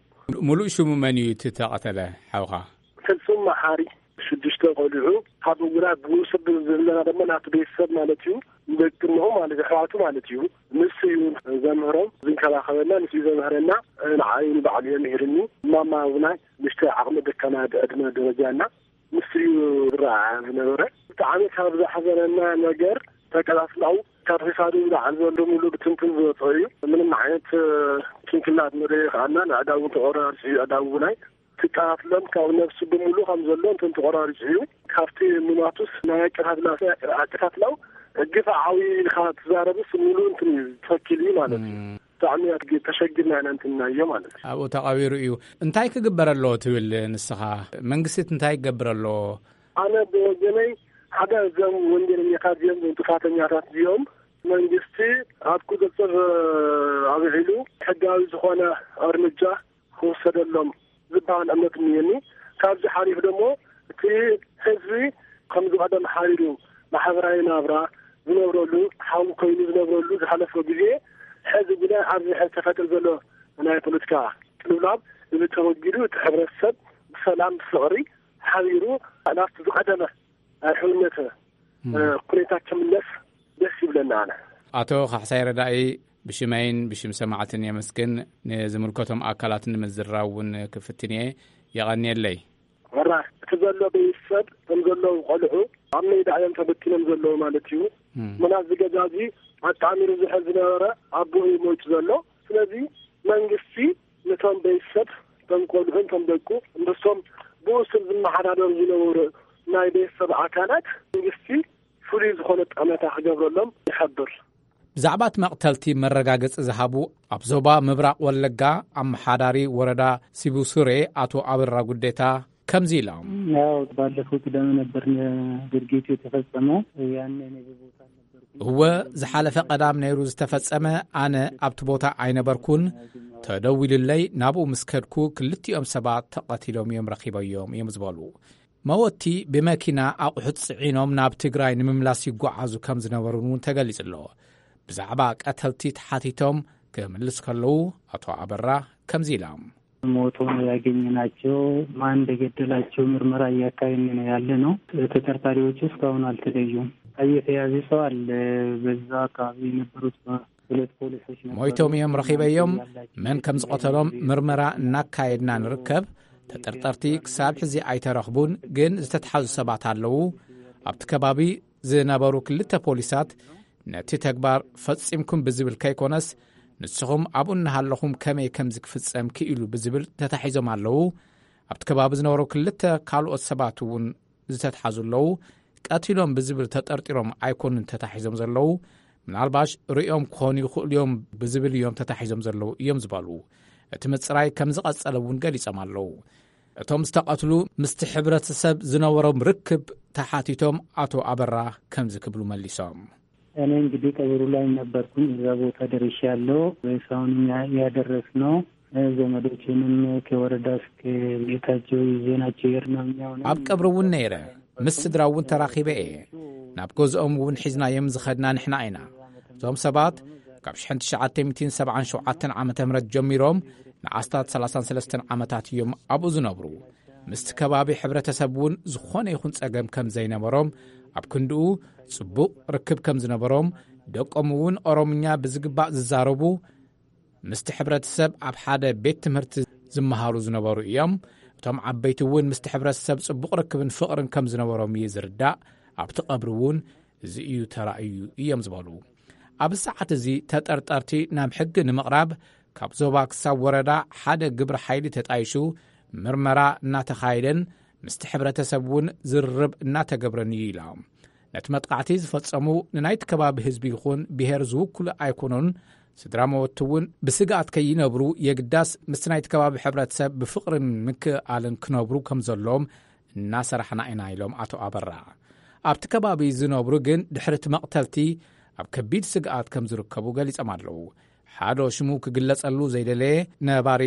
ሙሉእ ሽሙ መን እዩ እቲ ተቐተለ ሓውኻ? ፍጹም መሓሪ። ሽዱሽተ ቆልዑ፣ ካብ ውላድ ብውስብ ዘለና ድማ ናቱ ቤተሰብ ማለት እዩ፣ ደቂ እምኡ ማለት ኣሕዋቱ ማለት እዩ። ንሱ እዩ ዘምህሮም፣ ዝንከባኸበና፣ ንሱ እዩ ዘምህረና። ንዓይ ንባዕሉ እዩ ምሂርኒ። ማማ ውናይ ንእሽተይ ዓቕሚ ደካማ ዕድመ ደረጃ እና ንሱ እዩ ዝረኣ ዝነበረ። ብጣዕሚ ካብ ዘሕዘነና ነገር ተቀላስላው ካብ ኺሳዱ ዝለዓል ዘሎ ሙሉ ብትንትን ዝወፀ እዩ። ምንም ዓይነት ጭንቅላት መደየ ከኣና ንዕዳውን ተቆራርፂ እዩ። ዕዳውናይ ትቃትሎም ካብ ነብሱ ብምሉ ከም ዘሎ እንትን ተቆራሪፂ እዩ። ካብቲ ምማቱስ ናይ ኣቀታትላ ኣቀታትላው ግፋ ዓዊ ኢልካ ትዛረብስ ሙሉ እንትን እዩ ተኪል እዩ ማለት እዩ። ብጣዕሚ ተሸግርና ኢና እንትናዮ ማለት እዩ። ኣብኡ ተቐቢሩ እዩ። እንታይ ክግበር ኣለዎ ትብል ንስኻ? መንግስቲ እንታይ ክገብር ኣለዎ? ኣነ ብወገነይ ሓደ እዞም ወንጀለኛታት እዚኦም፣ እዞም ጥፋተኛታት እዚኦም መንግስቲ ኣብ ቁፅፅር ኣውዒሉ ሕጋዊ ዝኾነ እርምጃ ክውሰደሎም ዝበሃል እምነት እኒአኒ። ካብዚ ሓሊፉ ደሞ እቲ ህዝቢ ከም ዝቐደም ሓሪሩ ማሕበራዊ ናብራ ዝነብረሉ ሓው ኮይኑ ዝነብረሉ ዝሓለፈ ግዜ ሕዚ ግና ኣብዚ ሕዚ ተፈጥር ዘሎ ናይ ፖለቲካ ቅልውላብ እዚ ተወጊዱ እቲ ሕብረተሰብ ብሰላም ብፍቕሪ ሓቢሩ ናብቲ ዝቐደመ ናይ ሕውነት ኩነታ ክምለስ ደስ ይብለና። ኣነ ኣቶ ካሕሳይ ረዳኢ ብሽመይን ብሽም ሰማዕትን የመስግን። ንዝምልከቶም ኣካላት ንምዝራብ እውን ክፍትን እየ። የቐንየለይ። መራ እቲ ዘሎ ቤተሰብ ከም ዘለዉ ቆልዑ ኣብ ሜዳ እዮም ተበቲኖም ዘለዉ ማለት እዩ። ምናት ዝገዛ እዚ ኣጣሚሩ ዝሕል ዝነበረ ኣቦ እዩ ሞይቱ ዘሎ። ስለዚ መንግስቲ ነቶም ቤተሰብ፣ ቶም ቆልዑን ቶም ደቁ፣ ምስቶም ብኡ ስር ዝመሓዳደሩ ዝነበሩ ናይ ቤተሰብ ኣካላት መንግስቲ ፍሉይ ዝኾነ ጠመታ ክገብረሎም ይሓብር። ብዛዕባ እቲ መቕተልቲ መረጋገጺ ዝሃቡ ኣብ ዞባ ምብራቕ ወለጋ ኣመሓዳሪ ወረዳ ሲቡሱሬ ኣቶ ኣበራ ጉዴታ ከምዚ ኢሎም። ያው ባለፈው ቅዳሜ ነበር ድርጊቱ የተፈጸመው። ያኔ እኔ በቦታ አልነበርኩም። እወ፣ ዝሓለፈ ቀዳም ነይሩ ዝተፈጸመ። ኣነ ኣብቲ ቦታ ኣይነበርኩን። ተደዊሉለይ ናብኡ ምስ ከድኩ ክልቲኦም ሰባት ተቐቲሎም እዮም ረኺበዮም እዮም ዝበሉ። መወቲ ብመኪና ኣቑሑት ጽዒኖም ናብ ትግራይ ንምምላስ ይጓዓዙ ከም ዝነበሩን እውን ተገሊጹ ኣሎ። ብዛዕባ ቀተልቲ ተሓቲቶም ክምልስ ከለዉ ኣቶ ኣበራ ከምዚ ኢሎም። ሞቶ ነው ያገኘናቸው። ማን እንደገደላቸው ምርመራ እያካሄድን ነው ያለ ነው። ተጠርጣሪዎቹ እስካሁን አልተለዩም። የተያዘ ሰው አለ። በዛ አካባቢ የነበሩት ሁለት ፖሊሶች ነበሩ። ሞይቶም እዮም ረኺበዮም። መን ከም ዝቐተሎም ምርመራ እናካየድና ንርከብ። ተጠርጠርቲ ክሳብ ሕዚ ኣይተረኽቡን፣ ግን ዝተትሓዙ ሰባት ኣለዉ። ኣብቲ ከባቢ ዝነበሩ ክልተ ፖሊሳት ነቲ ተግባር ፈጺምኩም ብዝብል ከይኮነስ፣ ንስኹም ኣብኡ እናሃለኹም ከመይ ከምዚ ክፍጸም ክኢሉ ብዝብል ተታሒዞም ኣለዉ። ኣብቲ ከባቢ ዝነበሩ ክልተ ካልኦት ሰባት እውን ዝተትሓዙ ኣለዉ። ቀቲሎም ብዝብል ተጠርጢሮም ኣይኮኑን ተታሒዞም ዘለዉ። ምናልባሽ ርእዮም ክኾኑ ይኽእሉ እዮም ብዝብል እዮም ተታሒዞም ዘለዉ እዮም ዝበሉ። እቲ ምጽራይ ከም ዝቐጸለ እውን ገሊጾም ኣለዉ። እቶም ዝተቐትሉ ምስቲ ሕብረተሰብ ዝነበሮም ርክብ ተሓቲቶም ኣቶ ኣበራ ከምዚ ክብሉ መሊሶም። እኔ እንግዲህ ቀብሩ ላይ ነበርኩኝ። እዛ ቦታ ደርሻለሁ። ሬሳውንም ያ-፣ ያደረስነው፣ እ፣ ዘመዶችንም ከወረዳ እስከ ቤታቸው ይዘናቸው የሄድነው እኛው ነን። ኣብ ቀብሪ እውን ነይረ። ምስ ስድራ እውን ተራኺበ እየ። ናብ ገዝኦም እውን ሒዝናዮም ዝኸድና ንሕና ኢና። እዞም ሰባት ካብ ሽሕን ትሽዓተ ሚእትን ሰብዓን ሸውዓተን ዓመተ ምህረት ጀሚሮም ንኣስታት ሰላሳን ሰለስተን ዓመታት እዮም ኣብኡ ዝነብሩ። ምስቲ ከባቢ ሕብረተሰብ እውን ዝኾነ ይኹን ጸገም ከም ዘይነበሮም፣ ኣብ ክንድኡ ጽቡቕ ርክብ ከም ዝነበሮም፣ ደቆም እውን ኦሮምኛ ብዝግባእ ዝዛረቡ፣ ምስቲ ሕብረተሰብ ኣብ ሓደ ቤት ትምህርቲ ዝመሃሩ ዝነበሩ እዮም። እቶም ዓበይቲ እውን ምስቲ ሕብረተሰብ ጽቡቕ ርክብን ፍቕርን ከም ዝነበሮም እዩ ዝርዳእ። ኣብቲ ቀብሪ እውን እዚ እዩ ተራእዩ እዮም ዝበሉ። ኣብዚ ሰዓት እዚ ተጠርጠርቲ ናብ ሕጊ ንምቕራብ ካብ ዞባ ክሳብ ወረዳ ሓደ ግብረ ሓይሊ ተጣይሹ ምርመራ እናተኻየደን ምስቲ ሕብረተሰብ እውን ዝርርብ እናተገብረን እዩ ኢሎም። ነቲ መጥቃዕቲ ዝፈጸሙ ንናይቲ ከባቢ ህዝቢ ይኹን ብሄር ዝውክሉ ኣይኮኑን። ስድራ መወቲ እውን ብስግኣት ከይነብሩ የግዳስ ምስቲ ናይቲ ከባቢ ሕብረተሰብ ብፍቕርን ምክእኣልን ክነብሩ ከም ዘለዎም እናሰራሕና ኢና ኢሎም ኣቶ ኣበራ። ኣብቲ ከባቢ ዝነብሩ ግን ድሕሪ እቲ መቕተልቲ ኣብ ከቢድ ስግኣት ከም ዝርከቡ ገሊጾም ኣለዉ። ሓደ ሽሙ ክግለጸሉ ዘይደለየ ነባሪ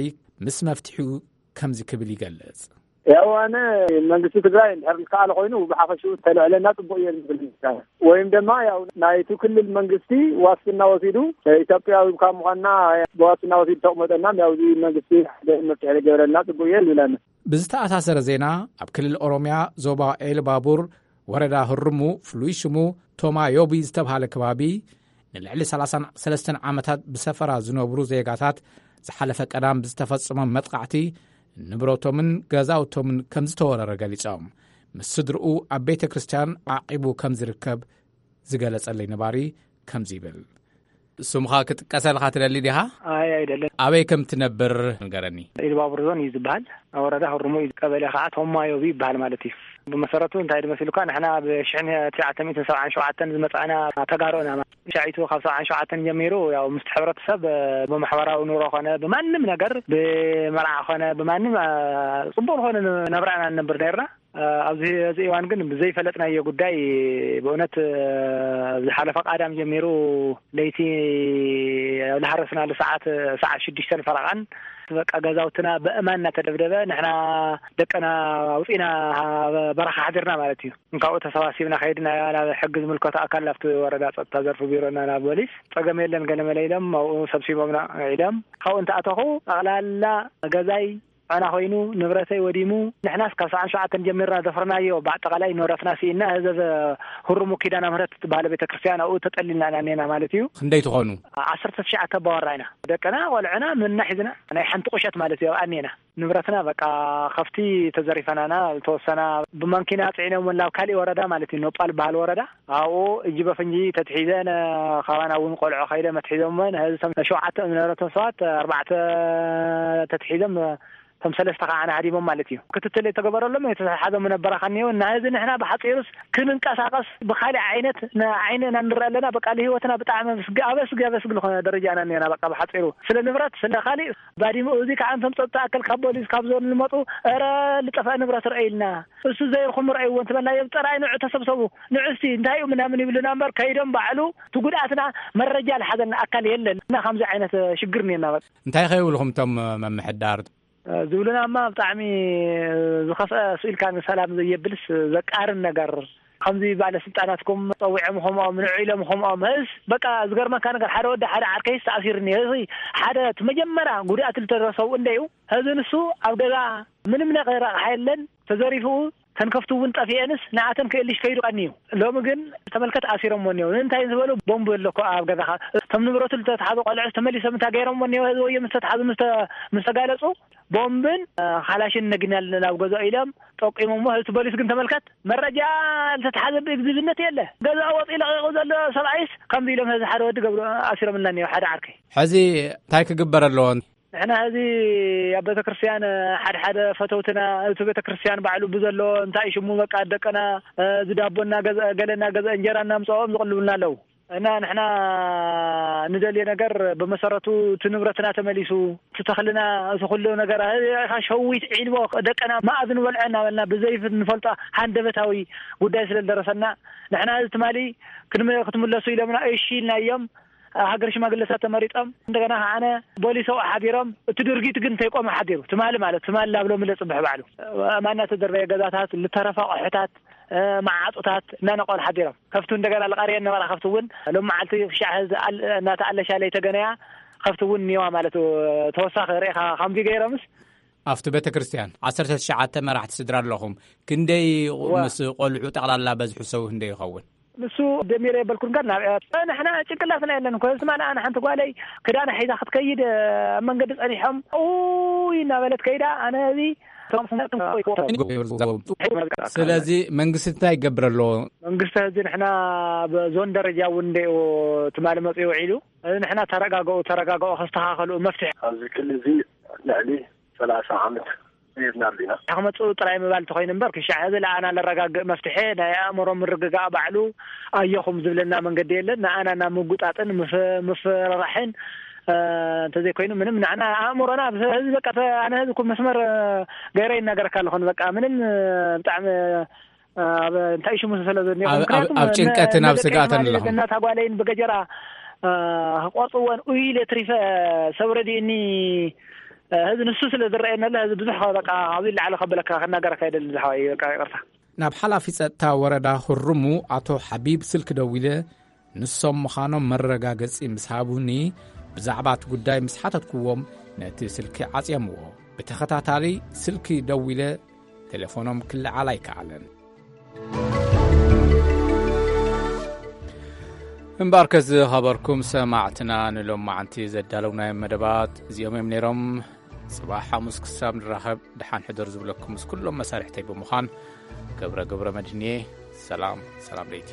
ምስ መፍትሒኡ ከምዚ ክብል ይገልጽ። ያው ኣነ መንግስቲ ትግራይ እንድሕር ዝከኣለ ኮይኑ ብሓፈሽኡ ተልዕለና ጽቡቅ እየ ዝብል። ወይም ድማ ያው ናይቲ ክልል መንግስቲ ዋስትና ወሲዱ ኢትዮጵያዊ ካብ ምዃንና ብዋስትና ወሲዱ ተቕመጠና ያው እዚ መንግስቲ ሓደ መፍትሒ ገበረልና ጽቡቅ እየ ዝብለና። ብዝተኣሳሰረ ዜና፣ ኣብ ክልል ኦሮምያ ዞባ ኤልባቡር ወረዳ ህርሙ፣ ፍሉይ ሽሙ ቶማ ዮቢ ዝተብሃለ ከባቢ፣ ንልዕሊ ሰላሳን ሰለስተን ዓመታት ብሰፈራ ዝነብሩ ዜጋታት ዝሓለፈ ቀዳም ብዝተፈጸመ መጥቃዕቲ ንብረቶምን ገዛውቶምን ከም ዝተወረረ ገሊጾም። ምስ ስድርኡ ኣብ ቤተ ክርስቲያን ዓቂቡ ከም ዝርከብ ዝገለጸለይ ነባሪ ከምዚ ይብል። ስምኻ ክጥቀሰልካ ትደሊ ዲኻ? ኣይ፣ ኣይደለን። ኣበይ ከም ትነብር ንገረኒ። ኢሉባቡር ዞን እዩ ዝበሃል። ኣብ ወረዳ ህሩሙ እዩ። ቀበሌ ከዓ ቶማዮቢ ይበሃል ማለት እዩ። ብመሰረቱ እንታይ ድመሲሉካ፣ ንሕና ኣብ ሽሕን ትሽዓተ ሚእትን ሰብዓን ሸውዓተን ዝመጻእና ተጋሩ ኢና። ሻዒቱ ካብ ሰብዓን ሸውዓተን ጀሚሩ ያው ምስቲ ሕብረተሰብ ብማሕበራዊ ኑሮ ኾነ ብማንም ነገር፣ ብመርዓ ኾነ ብማንም፣ አ፣ ጽቡቅ ዝኾነ ናብራ ኢና ንነብር ነርና። ኣብዚ፣ እዚ እዋን ግን ብዘይፈለጥናዮ ጉዳይ ብእውነት፣ ዝሓለፈ ቃዳም ጀሚሩ ለይቲ ዝሃረስናሉ ሰዓት፣ ሰዓት ሽዱሽተን ፈረቓን በቃ ገዛውትና በእማን እናተደብደበ ንሕና ደቅና ኣውፂና በረኻ ሓዲርና ማለት እዩ። እንካብኡ ተሰባሲብና ከይድና ናብ ሕጊ ዝምልከቶ ኣካል ናብቲ ወረዳ ፀጥታ ዘርፊ ቢሮና ናብ ፖሊስ ፀገም የለን ገለመለ ኢሎም ኣብኡ ሰብሲቦምና ኢሎም ካብኡ እንተኣተኹ ጠቕላላ ገዛይ ፋና ኮይኑ ንብረተይ ወዲሙ። ንሕናስ ካብ ሰዓን ሸውዓተን ጀሚርና ዘፍረናዮ ብኣጠቓላይ ንብረትና ስኢና፣ ህዘብ ህሩሙ ኪዳነ ምህረት ትበሃል ቤተክርስትያን ኣብኡ ተጠሊልና ኢና እኔና ማለት እዩ። ክንደይ ትኾኑ? ዓሰርተ ትሽዓተ ኣባወራ ኢና። ደቅና፣ ቆልዑና፣ ምንና ሒዝና ናይ ሓንቲ ቁሸት ማለት እዩ ኣብኣ እኔና። ንብረትና በቃ ከፍቲ ተዘሪፈናና፣ ዝተወሰና ብማንኪና ጽዒኖም ናብ ካሊእ ወረዳ ማለት እዩ፣ ኖጳል በሃል ወረዳ። ኣብኡ እጅ በፍንጂ ተትሒዘን፣ ካባና እውን ቆልዑ ከይደ መትሒዞመን። ህዚ ሸውዓተ ዝነበረቶም ሰባት ኣርባዕተ ተትሒዞም፣ እቶም ሰለስተ ከዓ ንሃዲሞም ማለት እዩ። ክትትል የተገበረሎም የተሓዘ ምነበራ ከኒዮ እና ህዚ ንሕና ብሓፂሩስ ክንንቀሳቀስ ብካሊእ ዓይነት ንዓይንና ንርኢ ኣለና። በቃ ንህይወትና ብጣዕሚ ኣብ ኣስጊ፣ ኣብ ኣስጊ፣ ኣብ ኣስጊ ዝኾነ ደረጃ ኢና እኒአና። በቃ ብሓፂሩ ስለ ንብረት ስለ ካሊእ ባዲሙ። እዚ ከዓ እንቶም ፀጥታ ኣካል ካብ ፖሊስ ካብ ዞን ዝመፁ፣ "ኧረ ዝጠፍአ ንብረት ርአ" ኢልና፣ "እሱ ዘይርኹም ርአይዎ" እንትበልናዮም፣ "ጥራይ ንዑ ተሰብሰቡ፣ ንዑ እስቲ እንታይ እዩ" ምናምን ይብሉና እምበር ከይዶም ባዕሉ እቲ ጉድኣትና መረጃ ዝሓዘልና ኣካል የለን። እና ከምዚ ዓይነት ሽግር እኒአና። በቃ እንታይ ከይብልኹም እቶም መምሕዳር? ዝብሉና እማ ብጣዕሚ ዝኸፍአ፣ ስኢልካ ንሰላም ዘየብልስ ዘቃርን ነገር። ከምዚ ባለስልጣናትኩም ጸዊዖም ኸምኦም፣ ንዑ ኢሎም ኸምኦም፣ ህስ በቃ ዝገርመካ ነገር፣ ሓደ ወዲ ሓደ ዓርከይስ ተኣሲሩ እኒሀ። እዚ ሓደ እቲ መጀመርያ ጉድኣት ዝተደረሰው እንደዩ። ህዚ ንሱ ኣብ ገዛ ምንም ነገር ኣቕሓ የለን፣ ተዘሪፉ፣ ተንከፍቱ እውን ጠፊኤንስ ንኣተን ክእልሽ ከይዱ ቀንዩ። ሎሚ ግን ተመልከት ኣሲሮምዎ እኒው። ንምንታይ ዝበሉ ቦምብ ኣሎ እኮ ኣብ ገዛኻ። እቶም ንብረቱ ዝተትሓዙ ቆልዑ ተመሊሶም እንታይ ገይሮምዎ እኒው? ህዚ ወዮ ምስ ተትሓዙ ምስ ተ-፣ ምስ ተጋለጹ ቦምብን፣ እ፣ ካላሽን ነጊናል ናብ ገዛኡ ኢሎም ጠቂሞምዎ። ህዚ ፖሊስ ግን ተመልከት መረጃ ዝተትሓዘ ብእግዚብነት የለ። ገዛኡ ወፂኡ ለቂቑ ዘሎ ሰብኣይስ ከምዚ ኢሎም ህዚ ሓደ ወዲ ገብሩ ኣሲሮምና እኒው ሓደ ዓርከይ። ሕዚ እንታይ ክግበር ኣለዎ? ንሕና እዚ ኣብ ቤተክርስትያን ሓደ ሓደ ፈተውትና እቲ ቤተክርስትያን ባዕሉ ብዘሎ እንታይ ሽሙ በቃ ደቅና፣ እ፣ እዚ ዳቦ እናገዝአ ገለ እናገዝአ እንጀራ እናምፅኦም ዝቕልቡልና ኣለዉ። እና ንሕና ንደልዮ ነገር ብመሰረቱ እቲ ንብረትና ተመሊሱ፣ እቲ ተኽልና፣ እቲ ኩሉ ነገር፣ እ፣ ሸዊት ዒልቦ ደቅና መኣ ዝንበልዖ እናበልና ብዘይ ንፈልጦ ሃንደበታዊ ጉዳይ ስለ ዝደረሰና ንሕና እዚ ትማሊ ክንመ-፣ ክትምለሱ ኢሎምና እሺ ኢልና እዮም። ሃገር ሽማግለታት ተመሪጦም፣ እንደገና ከዓነ ቦሊስ ኣብኡ ሓዲሮም፣ እቲ ድርጊት ግን እንተይቆመ ሓዲሩ፣ ትማሊ ማለት፣ ትማሊ ናብ ሎሚ ለጽብሕ ባዕሉ፣ ኣእማን እናተደርበየ ገዛታት፣ ዝተረፈ ኣቑሑታት፣ እ፣ መዓጹታት እናነቐሉ ሓዲሮም። ከፍቲ እንደገና ልቐርየን ነበራ፣ ከፍቲ እውን ሎም መዓልቲ ክሻዕ ህዚ ኣል-፣ እናተኣለሻ ለይተገነያ ከፍቲ እውን እኒዋ ማለት፣ ተወሳኺ ርኢኻ ከምዚ ገይሮምስ። ኣብቲ ቤተ ክርስቲያን ዓሰርተ ትሽዓተ መራሕቲ ስድራ ኣለኹም። ክንደይ እዋ። ምስ ቆልዑ ጠቕላላ በዝሑ ሰብ ክንደይ ይኸውን? ንሱ ደሚረ የበልኩን ጋር ናብ ንሕና ጭንቅላትና የለን እኮ። እዚ ትማሊ ኣነ ሓንቲ ጓለይ ክዳና ሒዛ ክትከይድ ኣብ መንገዲ ጸኒሖም፣ ኡይ እናበለት ከይዳ፣ ኣነ እዚ ስለዚ መንግስቲ እንታይ ይገብር ኣለዎ? መንግስቲ እዚ ንሕና ብዞን ደረጃ እውን እንደ ትማሊ መፅኡ ውዒሉ፣ እዚ ንሕና ተረጋግኡ፣ ተረጋግኡ፣ ከስተኻኸሉ መፍትሒ ኣብዚ ክልል እዚ ልዕሊ ሰላሳ ዓመት ሂብና ኣሊና። ክመፅኡ ጥራይ ምባል እንተኾይኑ እምበር፣ ክሻዕ ህዚ ለኣና ለረጋግእ መፍትሒ ናይ ኣእምሮ ምርግጋእ ባዕሉ ኣየኹም ዝብለና መንገዲ የለን። ንኣና ናብ ምጉጣጥን ምፍ-፣ ምፍርራሕን፣ እ፣ እንተዘይኮይኑ ምንም ንዓና ኣእምሮና፣ ህዚ በቃ፣ ተ-፣ ኣነ ህዚ እኮ መስመር፣ እ፣ ገይረ ይናገረካ ኣለኹን። በቃ ምንም፣ እ፣ ብጣዕሚ፣ እ፣ ኣብ እንታይ ሽሙ ስለ ዘኒኦ፣ ኣብ፣ ኣብ፣ ምክንያቱም ኣብ ነ-፣ ጭንቀትን ኣብ ነደቀይ ስግኣትን ትማሊ ኣለኹም። እናታ ጓለይን ብገጀራ፣ እ፣ ክቆርፅወን ኡይ ኢለ ትሪፈ ሰብ ረዲእኒ ሕዚ ንሱ ስለ ዝረኣየኒ ኣሎ፣ ሕዚ ብዙሕ በቃ ካብዚ ላዕሊ ከበለካ ክናገረካ ኣይደልን ዝሓወይ፣ በቃ ይቕርታ። ናብ ሓላፊ ጸጥታ ወረዳ ሁሩሙ ኣቶ ሓቢብ ስልኪ ደዊለ፣ ንሶም ምዃኖም መረጋገጺ ምስ ሃቡኒ፣ ብዛዕባ እቲ ጉዳይ ምስ ሓተትኩዎም፣ ነቲ ስልኪ ዓጽዮምዎ። ብተኸታታሊ ስልኪ ደዊለ፣ ቴሌፎኖም ክለዓል ኣይከኣለን። እምበኣርከስ ዝኸበርኩም ሰማዕትና፣ ንሎማዓንቲ ዘዳለውናዮም መደባት እዚኦም እዮም ነይሮም። ጽባሕ ሓሙስ ክሳብ ንራኸብ፣ ደሓን ሕደሩ ዝብለኩም ምስ ኩሎም መሳርሕተይ ብምዃን፣ ገብረ ገብረ መድህንየ። ሰላም፣ ሰላም ለይቲ።